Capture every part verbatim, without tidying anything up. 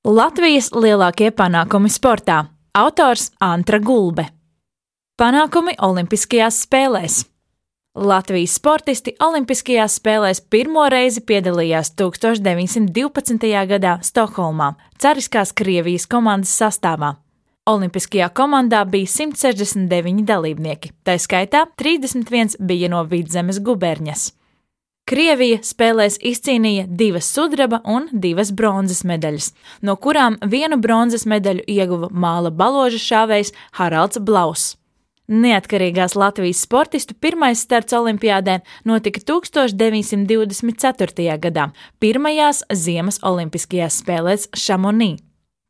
Latvijas lielākie panākumi sportā. Autors Antra Gulbe. Panākumi Olimpiskajās spēlēs. Latvijas sportisti Olimpiskajās spēlēs pirmo reizi piedalījās tūkstoš deviņsimt divpadsmitajā gadā Stokholmā, cariskās Krievijas komandas sastāvā. Olimpiskajā komandā bija simt sešdesmit deviņi dalībnieki, tā skaitā trīsdesmit viens bija no Vidzemes guberņas. Krievija spēlēs izcīnīja divas sudraba un divas bronzas medaļas, no kurām vienu bronzas medaļu ieguva māla baloža šāvējs Haralds Blauss. Neatkarīgās Latvijas sportistu pirmais starts olimpiādē notika tūkstoš deviņsimt divdesmit ceturtajā gadā, pirmajās ziemas olimpiskajās spēlēs Šamonī.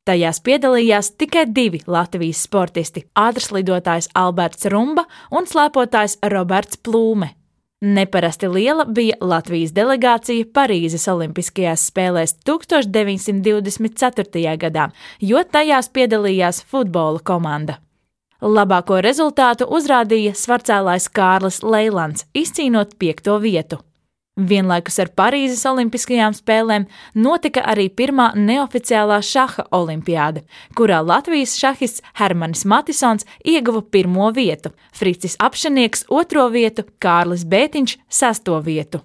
Tajās piedalījās tikai divi Latvijas sportisti – ātrslidotājs Alberts Rumba un slēpotājs Roberts Plūme. Neparasti liela bija Latvijas delegācija Parīzes Olimpiskajās spēlēs tūkstoš deviņsimt divdesmit ceturtajā gadā, jo tajās piedalījās futbola komanda. Labāko rezultātu uzrādīja svarcēlājs Kārlis Leilands, izcīnot piekto vietu. Vienlaikus ar Parīzes Olimpiskajām spēlēm notika arī pirmā neoficiālā šaha olimpiāde, kurā Latvijas šahists Hermanis Matisons ieguva pirmo vietu, Fricis Apšenieks otro vietu, Kārlis Bētiņš sesto vietu.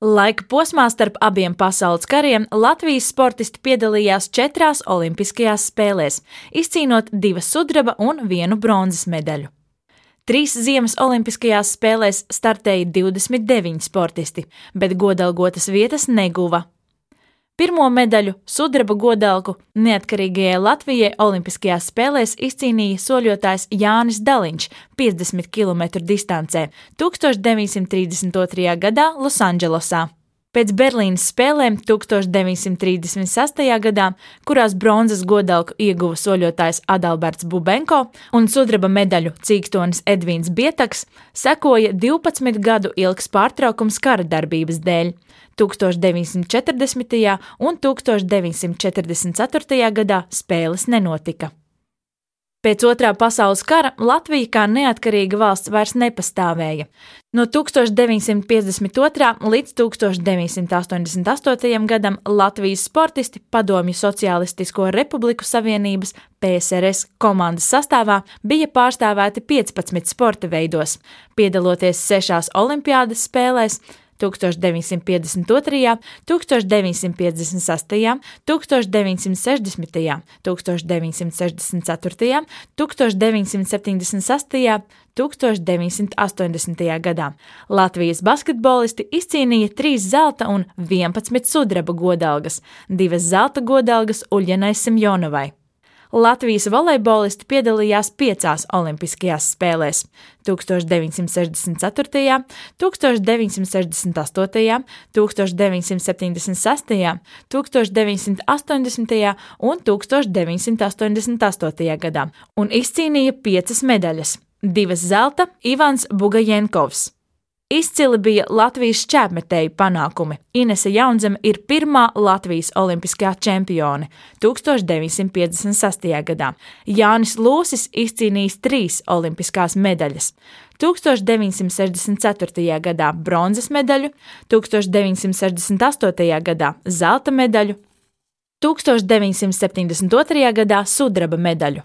Laika posmā starp abiem pasaules kariem Latvijas sportisti piedalījās četrās olimpiskajās spēlēs, izcīnot divas sudraba un vienu bronzas medaļu. Trīs ziemas olimpiskajās spēlēs startēja divdesmit deviņi sportisti, bet godalgotas vietas neguva. Pirmo medaļu, sudraba godalgu, neatkarīgajai Latvijai olimpiskajās spēlēs izcīnīja soļotājs Jānis Daliņš piecdesmit kilometru distancē tūkstoš deviņsimt trīsdesmit otrajā gadā Losandželosā. Pēc Berlīnes spēlēm tūkstoš deviņsimt trīsdesmit sestajā gadā, kurās bronzas godalgu ieguva soļotājs Adalberts Bubenko un sudraba medaļu cīkstonis Edvīns Bietaks, sekoja divpadsmit gadu ilgs pārtraukums kara darbības dēļ. tūkstoš deviņsimt četrdesmitajā un tūkstoš deviņsimt četrdesmit ceturtajā gadā spēles nenotika. Pēc otrā pasaules kara Latvija kā neatkarīga valsts vairs nepastāvēja. No tūkstoš deviņsimt piecdesmit otrā līdz tūkstoš deviņsimt astoņdesmit astotajam gadam Latvijas sportisti Padomju Sociālistisko Republiku Savienības P S R S komandas sastāvā bija pārstāvēti piecpadsmit sporta veidos, piedaloties sešās olimpiādes spēlēs tūkstoš deviņsimt piecdesmit otrajā, tūkstoš deviņsimt piecdesmit sestajā, tūkstoš deviņsimt sešdesmitajā, tūkstoš deviņsimt sešdesmit ceturtajā, tūkstoš deviņsimt septiņdesmit sestajā, tūkstoš deviņsimt astoņdesmitajā gadā. Latvijas basketbolisti izcīnīja trīs zelta un vienpadsmit sudraba godalgas, divas zelta godalgas Uļjanai Semjonovai. Latvijas volejbolisti piedalījās piecās olimpiskajās spēlēs – tūkstoš deviņsimt sešdesmit ceturtajā, tūkstoš deviņsimt sešdesmit astotajā, tūkstoš deviņsimt septiņdesmit sestajā, tūkstoš deviņsimt astoņdesmitajā un tūkstoš deviņsimt astoņdesmit astotajā gadā un izcīnīja piecas medaļas – divas zelta Ivans Bugajenkovs. Izcili bija Latvijas šķēpmetēju panākumi. Inese Jaunzeme ir pirmā Latvijas olimpiskā čempione tūkstoš deviņsimt piecdesmit sestajā gadā. Jānis Lūsis izcīnījis trīs olimpiskās medaļas. tūkstoš deviņsimt sešdesmit ceturtajā gadā bronzas medaļu, tūkstoš deviņsimt sešdesmit astotajā gadā zelta medaļu, tūkstoš deviņsimt septiņdesmit otrajā gadā sudraba medaļu.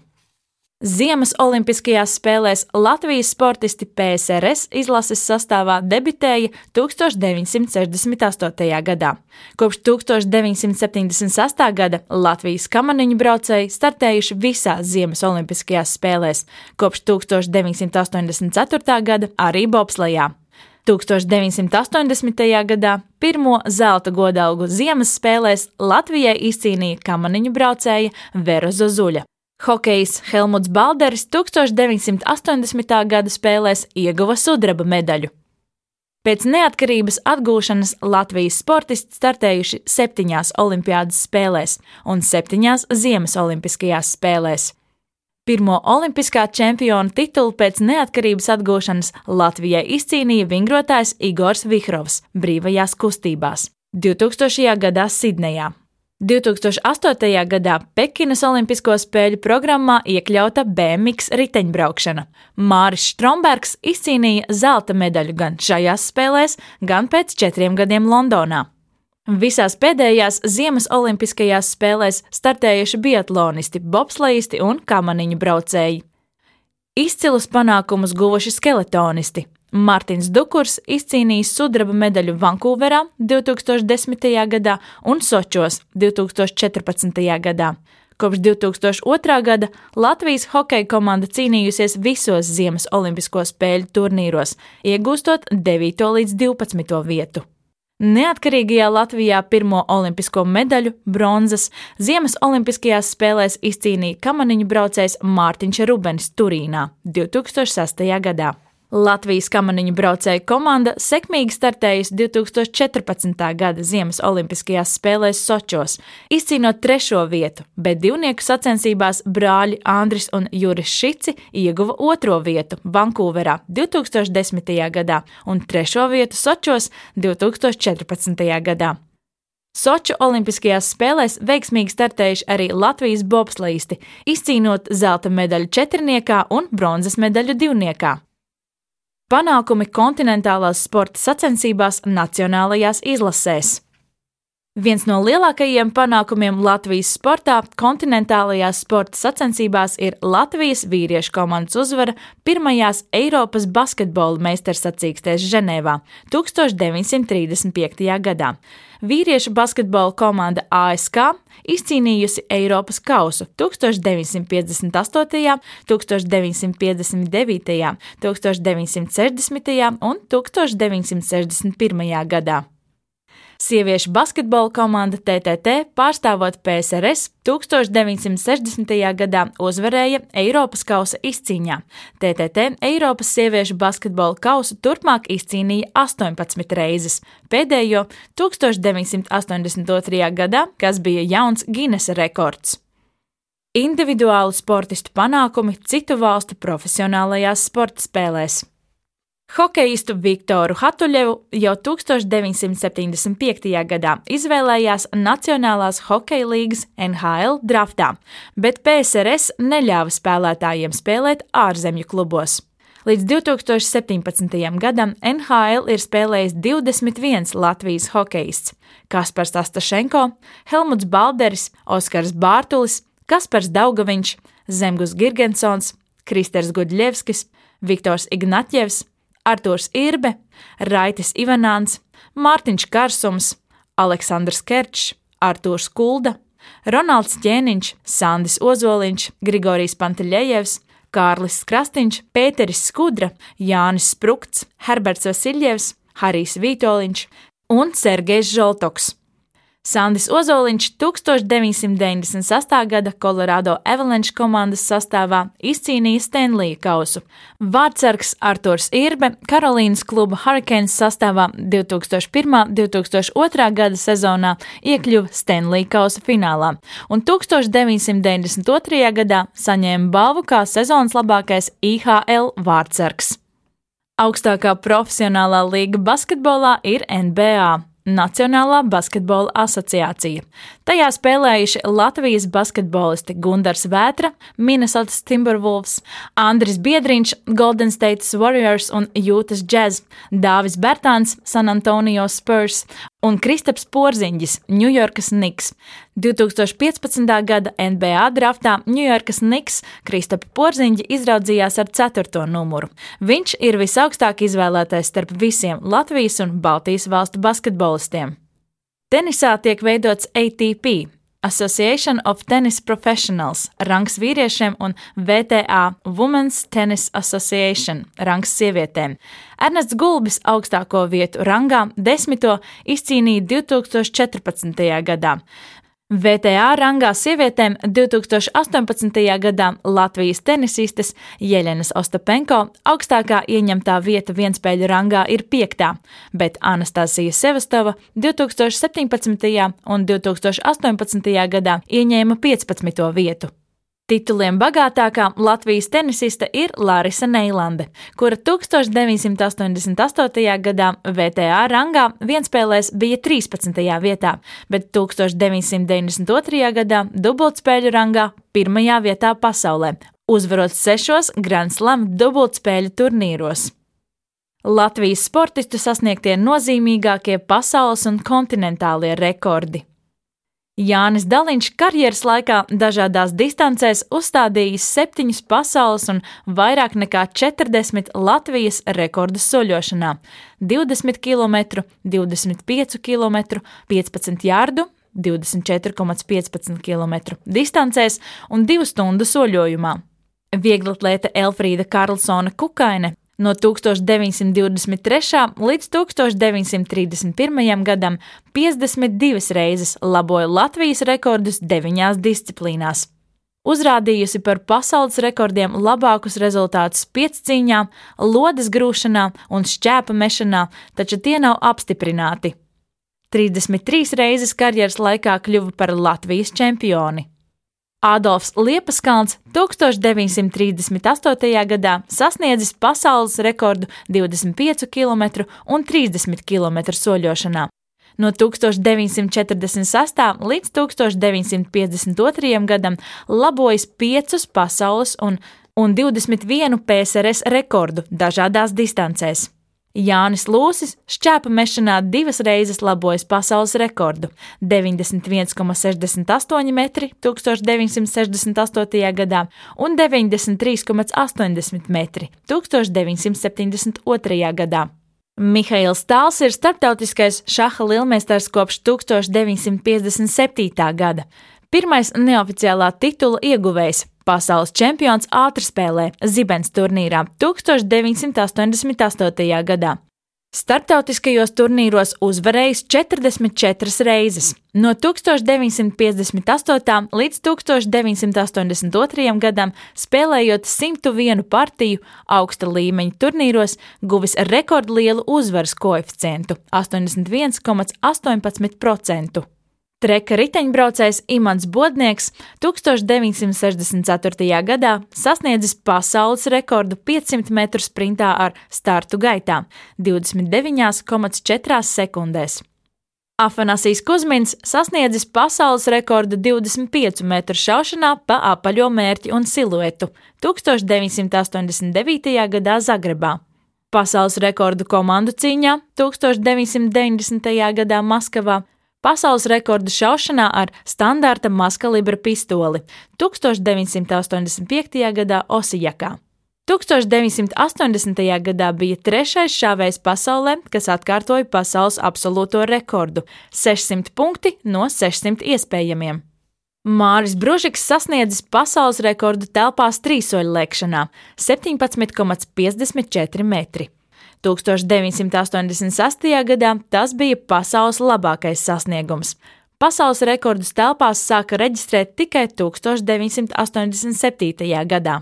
Ziemas olimpiskajās spēlēs Latvijas sportisti P S R S izlases sastāvā debitēja tūkstoš deviņsimt sešdesmit astotajā gadā. Kopš tūkstoš deviņsimt septiņdesmit sestā gada Latvijas kamaniņu braucēji startējuši visās Ziemas olimpiskajās spēlēs, kopš tūkstoš deviņsimt astoņdesmit ceturtā gada arī bobslejā. tūkstoš deviņsimt astoņdesmitajā gadā pirmo zelta godalgu Ziemas spēlēs Latvijai izcīnīja kamaniņu braucēja Vera Zozuļa. Hokejs Helmuts Balderis tūkstoš deviņsimt astoņdesmitā gada spēlēs ieguva sudraba medaļu. Pēc neatkarības atgūšanas Latvijas sportisti startējuši septiņās olimpiādas spēlēs un septiņās ziemas olimpiskajās spēlēs. Pirmo olimpiskā čempiona titulu pēc neatkarības atgūšanas Latvijai izcīnīja vingrotājs Igors Vihrovs brīvajās kustībās divtūkstošajā gadā Sidnejā. divtūkstoš astotajā gadā Pekinas olimpisko spēļu programmā iekļauta B M X riteņbraukšana. Māris Strombergs izcīnīja zelta medaļu gan šajās spēlēs, gan pēc četriem gadiem Londonā. Visās pēdējās Ziemas olimpiskajās spēlēs startējuši biatlonisti, bobslejisti un kamaniņu braucēji. Izcilus panākumus guvuši skeletonisti. Mārtiņš Dukurs izcīnījis sudraba medaļu Vankūverā divtūkstoš desmitajā gadā un Sočos divtūkstoš četrpadsmitajā gadā. Kopš divtūkstoš otrā gada Latvijas hokeja komanda cīnījusies visos Ziemas olimpisko spēļu turnīros, iegūstot devīto līdz divpadsmito vietu. Neatkarīgajā Latvijā pirmo olimpisko medaļu, bronzas, Ziemas olimpiskajās spēlēs izcīnīja kamaniņu braucējs Mārtiņš Rubenis Turīnā divtūkstoš sestajā gadā. Latvijas kamaniņu braucēju komanda sekmīgi startējusi divtūkstoš četrpadsmitā gada Ziemas olimpiskajās spēlēs Sočos, izcīnot trešo vietu, bet divnieku sacensībās brāļi Andris un Juris Šici ieguva otro vietu Vankūverā divtūkstoš desmitajā gadā un trešo vietu Sočos divtūkstoš četrpadsmitajā gadā. Soču olimpiskajās spēlēs veiksmīgi startējuši arī Latvijas bobslejisti, izcīnot zelta medaļu četrniekā un bronzas medaļu divniekā. Panākumi kontinentālās sporta sacensībās nacionālajās izlasēs. Viens no lielākajiem panākumiem Latvijas sportā kontinentālajās sporta sacensībās ir Latvijas vīriešu komandas uzvara pirmajās Eiropas basketbola meistarsacīkstēs Ženēvā tūkstoš deviņsimt trīsdesmit piektajā gadā. Vīriešu basketbola komanda A S K izcīnījusi Eiropas kausu tūkstoš deviņsimt piecdesmit astotajā, tūkstoš deviņsimt piecdesmit devītajā, tūkstoš deviņsimt sešdesmitajā un tūkstoš deviņsimt sešdesmit pirmajā gadā. Sieviešu basketbola komanda T T T, pārstāvot P S R S, tūkstoš deviņsimt sešdesmitajā gadā uzvarēja Eiropas kausa izcīņā. T T T Eiropas sieviešu basketbola kausu turpmāk izcīnīja astoņpadsmit reizes, pēdējo tūkstoš deviņsimt astoņdesmit otrajā gadā, kas bija jauns Ginesa rekords. Individuālu sportistu panākumi citu valstu profesionālajās sporta spēlēs. Hokejistu Viktoru Hatuļevu jau tūkstoš deviņsimt septiņdesmit piektajā gadā izvēlējās Nacionālās hokeja līgas N H L draftā, bet P S R S neļāva spēlētājiem spēlēt ārzemju klubos. Līdz divtūkstoš septiņpadsmitajam gadam N H L ir spēlējis divdesmit viens Latvijas hokejists – Kaspars Astašenko, Helmuts Balderis, Oskars Bārtulis, Kaspars Daugaviņš, Zemgus Girgensons, Kristers Gudļevskis, Viktors Ignatjevs, Artūrs Irbe, Raitis Ivanāns, Mārtiņš Karsums, Aleksandrs Kerčs, Artūrs Kulda, Ronalds Ķēniņš, Sandis Ozoliņš, Grigorijs Panteļejevs, Kārlis Krastīņš, Pēteris Skudra, Jānis Sprukts, Herberts Vasiļjevs, Harijs Vītoliņš un Sergejs Žoltoks. Sandis Ozoliņš tūkstoš deviņsimt deviņdesmit sastā gada Colorado Avalanche komandas sastāvā izcīnīja Stanleya kausu. Vārtsargs Artūrs Irbe Karolīnas kluba Hurricanes sastāvā divtūkstoš pirmā - divtūkstoš otrā gada sezonā iekļuva Stanleya kausa finālā un tūkstoš deviņsimt deviņdesmit otrajā gadā saņēma balvu kā sezonas labākais I H L vārtsargs. Augstākā profesionālā līga basketbolā ir N B A. Nacionālā basketbola asociācija. Tajā spēlējuši Latvijas basketbolisti Gundars Vētra, Minnesotas Timberwolves, Andris Biedriņš, Golden State Warriors un Utah Jazz, Dāvis Bertāns, San Antonio Spurs un Kristaps Porziņģis, Ņujorkas Knicks. divtūkstoš piecpadsmitā gada N B A draftā Ņujorkas Knicks Kristapu Porziņģi izraudzījās ar ceturto numuru. Viņš ir visaugstāk izvēlētais starp visiem Latvijas un Baltijas valstu basketbolistiem. Tenisā tiek veidots A T P, Association of Tennis Professionals, rangs vīriešiem un V T A, Women's Tennis Association, rangs sievietēm. Ernests Gulbis augstāko vietu rangā desmito izcīnīja divtūkstoš četrpadsmitajā gadā. V T A rangā sievietēm divtūkstoš astoņpadsmitajā gadā Latvijas tenisistes Jeļenas Ostapenko augstākā ieņemtā vieta vienspēļu rangā ir piektā, bet Anastasija Sevastova divtūkstoš septiņpadsmitajā un divtūkstoš astoņpadsmitajā gadā ieņēma piecpadsmito vietu. Tituliem bagātākā Latvijas tenisiste ir Larisa Neilande, kura tūkstoš deviņsimt astoņdesmit astotajā gadā V T A rangā vienspēlēs bija trīspadsmitajā vietā, bet tūkstoš deviņsimt deviņdesmit otrajā gadā dubultspēļu rangā pirmajā vietā pasaulē, uzvarot sešos Grand Slam dubultspēļu turnīros. Latvijas sportistu sasniegtie nozīmīgākie pasaules un kontinentālie rekordi. Jānis Daliņš karjeras laikā dažādās distancēs uzstādījis septiņus pasaules un vairāk nekā četrdesmit Latvijas rekordus soļošanā – divdesmit kilometru, divdesmit piecu kilometru, piecpadsmit jardu, divdesmit četri komats piecpadsmit kilometru distancēs un divu stundu soļojumā. Vieglatlēte Elfrīda Karlsone Kukaine no tūkstoš deviņsimt divdesmit trešā līdz tūkstoš deviņsimt trīsdesmit pirmajam gadam piecdesmit divas reizes laboja Latvijas rekordus deviņās disciplīnās. Uzrādījusi par pasaules rekordiem labākus rezultātus piecīņā, lodes grūšanā un šķēpa mešanā, taču tie nav apstiprināti. trīsdesmit trīs reizes karjeras laikā kļuva par Latvijas čempioni. Ādolfs Liepaskalns tūkstoš deviņsimt trīsdesmit astotajā gadā sasniedzis pasaules rekordu divdesmit piecu kilometru un trīsdesmit kilometru soļošanā. No tūkstoš deviņsimt četrdesmit sestā līdz tūkstoš deviņsimt piecdesmit otrajam gadam labojis piecus pasaules un, un divdesmit vienu P S R S rekordu dažādās distancēs. Jānis Lūsis šķēpa mešanā divas reizes labojis pasaules rekordu – deviņdesmit viens komats sešdesmit astoņi metri tūkstoš deviņsimt sešdesmit astotajā gadā un deviņdesmit trīs komats astoņdesmit metri tūkstoš deviņsimt septiņdesmit otrajā gadā. Mihails Tāls ir starptautiskais šaha lielmeistars kopš tūkstoš deviņsimt piecdesmit septītā gada. Pirmais neoficiālā titula ieguvējs, pasaules čempions ātrspēlē Zibens turnīrā tūkstoš deviņsimt astoņdesmit astotajā gadā. Starptautiskajos turnīros uzvarējis četrdesmit četras reizes. No tūkstoš deviņsimt piecdesmit astotā līdz tūkstoš deviņsimt astoņdesmit otrajam gadam, spēlējot simt vienu partiju augsta līmeņa turnīros, guvis rekordlielu uzvaras koeficientu – astoņdesmit viens komats astoņpadsmit procenti. Treka riteņbraucējs Imants Bodnieks tūkstoš deviņsimt sešdesmit ceturtajā gadā sasniedzis pasaules rekordu piecsimt metru sprintā ar startu gaitā – divdesmit deviņi komats četri sekundēs. Afanasijs Kuzmins sasniedzis pasaules rekordu divdesmit piecu metru šaušanā pa apaļo mērķi un siluetu tūkstoš deviņsimt astoņdesmit devītajā gadā Zagrebā. Pasaules rekordu komandu cīņā tūkstoš deviņsimt deviņdesmitajā gadā Maskavā, pasaules rekordu šaušanā ar standarta mazkalibra pistoli tūkstoš deviņsimt astoņdesmit piektajā gadā Osijakā. tūkstoš deviņsimt astoņdesmitajā gadā bija trešais šāvējs pasaulē, kas atkārtoja pasaules absolūto rekordu – sešsimt punkti no sešsimt iespējamiem. Māris Bružiks sasniedzis pasaules rekordu telpās trīsoļlēkšanā – septiņpadsmit komats piecdesmit četri metri. tūkstoš deviņsimt astoņdesmit sestajā gadā tas bija pasaules labākais sasniegums. Pasaules rekordus telpās sāka reģistrēt tikai tūkstoš deviņsimt astoņdesmit septītajā gadā.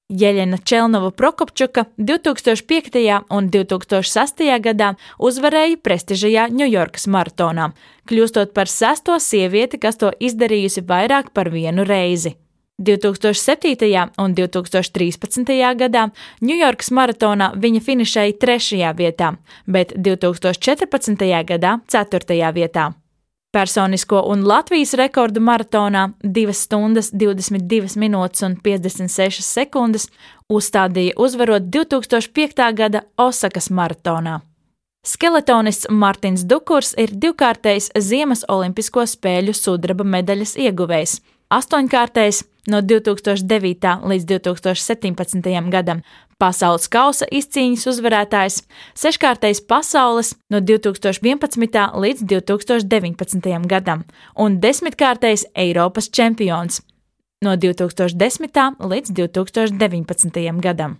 Jeļena Čelnova Prokopčuka divtūkstoš piektajā un divtūkstoš sestajā gadā uzvarēja prestižajā Ņujorkas maratonā, kļūstot par sesto sievieti, kas to izdarījusi vairāk par vienu reizi. divtūkstoš septītajā un divtūkstoš trīspadsmitajā gadā Ņujorkas maratonā viņa finišēja trešajā vietā, bet divtūkstoš četrpadsmitajā gadā ceturtajā vietā. Personisko un Latvijas rekordu maratonā divas stundas, divdesmit divas minūtes un piecdesmit sešas sekundes uzstādīja uzvarot divtūkstoš piektā gada Osakas maratonā. Skeletonists Martins Dukurs ir divkārtējs Ziemas olimpisko spēļu sudraba medaļas ieguvējs, astoņkārtējs no divtūkstoš devītā līdz divtūkstoš septiņpadsmitajam gadam pasaules kausa izcīņas uzvarētājs, seškārtējs pasaules no divtūkstoš vienpadsmitā līdz divtūkstoš deviņpadsmitajam gadam un desmitkārtējs Eiropas čempions no divtūkstoš desmitā līdz divtūkstoš deviņpadsmitajam gadam.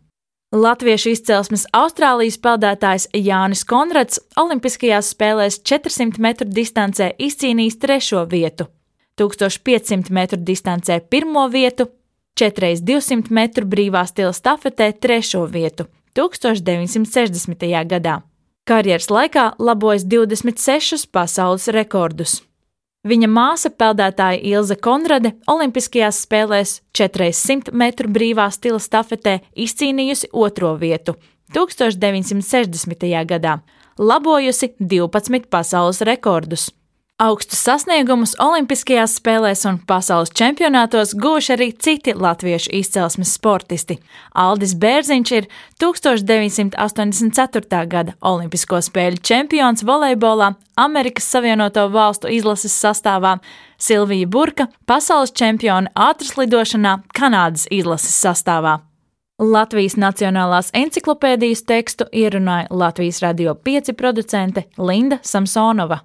Latviešu izcelsmes Austrālijas peldētājs Jānis Konrads olimpiskajās spēlēs četrsimt metru distancē izcīnījis trešo vietu, tūkstoš piecsimt metru distancē pirmo vietu, četri reiz divsimt metru brīvā stila stafetē trešo vietu tūkstoš deviņsimt sešdesmitajā gadā. Karjeras laikā labojis divdesmit sešus pasaules rekordus. Viņa māsa peldētāja Ilze Konrade olimpiskajās spēlēs četri reiz simt metru brīvā stila stafetē izcīnījusi otro vietu tūkstoš deviņsimt sešdesmitajā gadā, labojusi divpadsmit pasaules rekordus. Augstus sasniegumus Olimpiskajās spēlēs un pasaules čempionātos guvuši arī citi latviešu izcelsmes sportisti. Aldis Bērziņš ir tuksstoš deviņsimt astoņdesmit ceturtā gada Olimpisko spēļu čempions volejbolā Amerikas Savienoto Valstu izlases sastāvā, Silvija Burka pasaules čempione ātrslidošanā Kanādas izlases sastāvā. Latvijas Nacionālās enciklopēdijas tekstu ierunāja Latvijas Radio pieci producente Linda Samsonova.